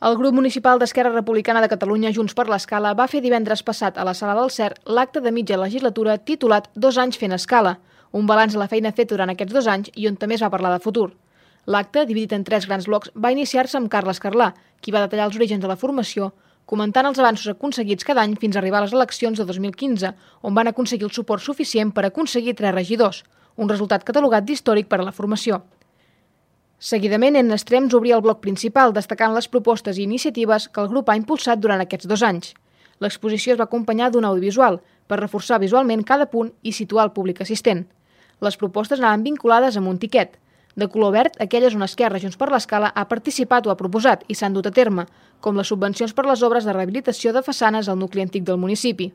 El grup municipal d'Esquerra Republicana de Catalunya Junts per l'Escala va fer divendres passat a la Sala del CER l'acte de mitja legislatura titulat 2 anys fent escala, un balanç de la feina feta durant aquests 2 anys i on també es va parlar de futur. L'acte, dividit en 3 grans blocs, va iniciar-se amb Carles Carlà, qui va detallar els orígens de la formació, comentant els avanços aconseguits cada any fins a arribar a les eleccions de 2015, on van aconseguir el suport suficient per aconseguir 3 regidors, un resultat catalogat d'històric per a la formació. Seguidament, en extrems obria el bloc principal, destacant les propostes i iniciatives que el grup ha impulsat durant aquests 2 anys. L'exposició es va acompanyar d'un audiovisual, per reforçar visualment cada punt i situar el públic assistent. Les propostes anaven vinculades amb un tiquet. De color verd, aquelles on Esquerra Junts per l'Escala ha participat o ha proposat i s'han dut a terme, com les subvencions per les obres de rehabilitació de façanes al nucli antic del municipi.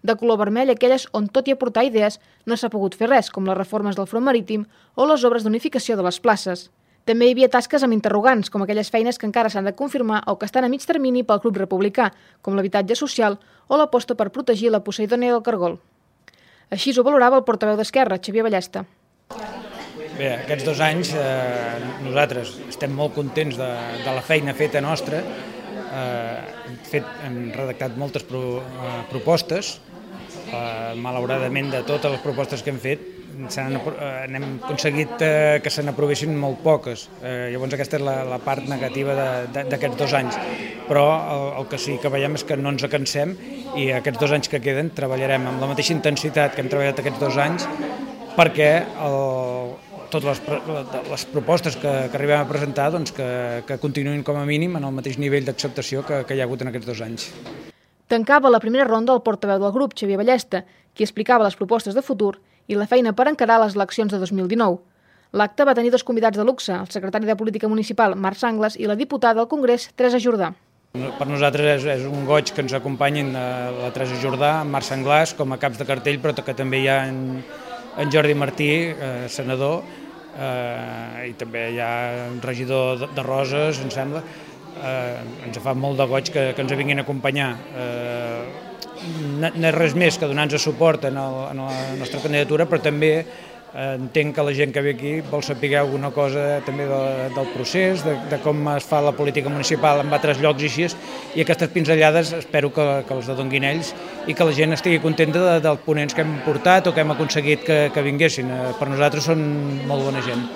De color vermell, aquelles on, tot i aportar idees, no s'ha pogut fer res, com les reformes del front marítim o les obres d'unificació de les places. També hi havia tasques amb interrogants, com aquelles feines que encara s'han de confirmar o que estan a mig termini pel Club Republicà, com l'habitatge social o l'aposta per protegir la Poseidònia del Cargol. Així ho valorava el portaveu d'Esquerra, Xavier Ballesta. Bé, aquests 2 anys nosaltres estem molt contents de la feina feta nostra. Hem redactat moltes propostes. Malauradament, de totes les propostes que hem fet, n'hem aconseguit que se n'aprovessin molt poques. Llavors aquesta és la part negativa d'aquests 2 anys. Però el que sí que veiem és que no ens cansem i aquests 2 anys que queden treballarem amb la mateixa intensitat que hem treballat aquests 2 anys perquè totes les propostes que arribem a presentar que continuïn com a mínim en el mateix nivell d'acceptació que hi ha hagut en aquests 2 anys. Tancava la primera ronda el portaveu del grup, Xavier Ballesta, qui explicava les propostes de futur i la feina per encarar les eleccions de 2019. L'acte va tenir 2 convidats de luxe, el secretari de Política Municipal, Marc Sanglas, i la diputada al Congrés, Teresa Jordà. Per nosaltres és un goig que ens acompanyin la Teresa Jordà, Marc Sanglas, com a caps de cartell, però que també hi ha en Jordi Martí, senador, i també hi ha un regidor de Roses, em sembla. Ens fa molt de goig que ens vinguin a acompanyar. No és res més que donar-nos suport en la nostra candidatura, però també entenc que la gent que ve aquí vol saber alguna cosa també del procés, de com es fa la política municipal en altres llocs i així, i aquestes pinzellades espero que els donguin ells i que la gent estigui contenta dels ponents que hem portat o que hem aconseguit que vinguessin. Per nosaltres són molt bona gent.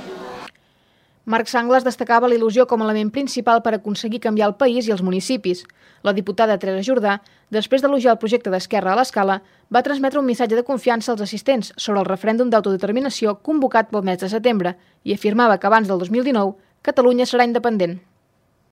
Marc Sanglas destacava la il·lusió com a element principal per aconseguir canviar el país i els municipis. La diputada Teresa Jordà, després d'elogiar el projecte d'Esquerra a l'Escala, va transmetre un missatge de confiança als assistents sobre el referèndum d'autodeterminació convocat pel mes de setembre i afirmava que abans del 2019 Catalunya serà independent.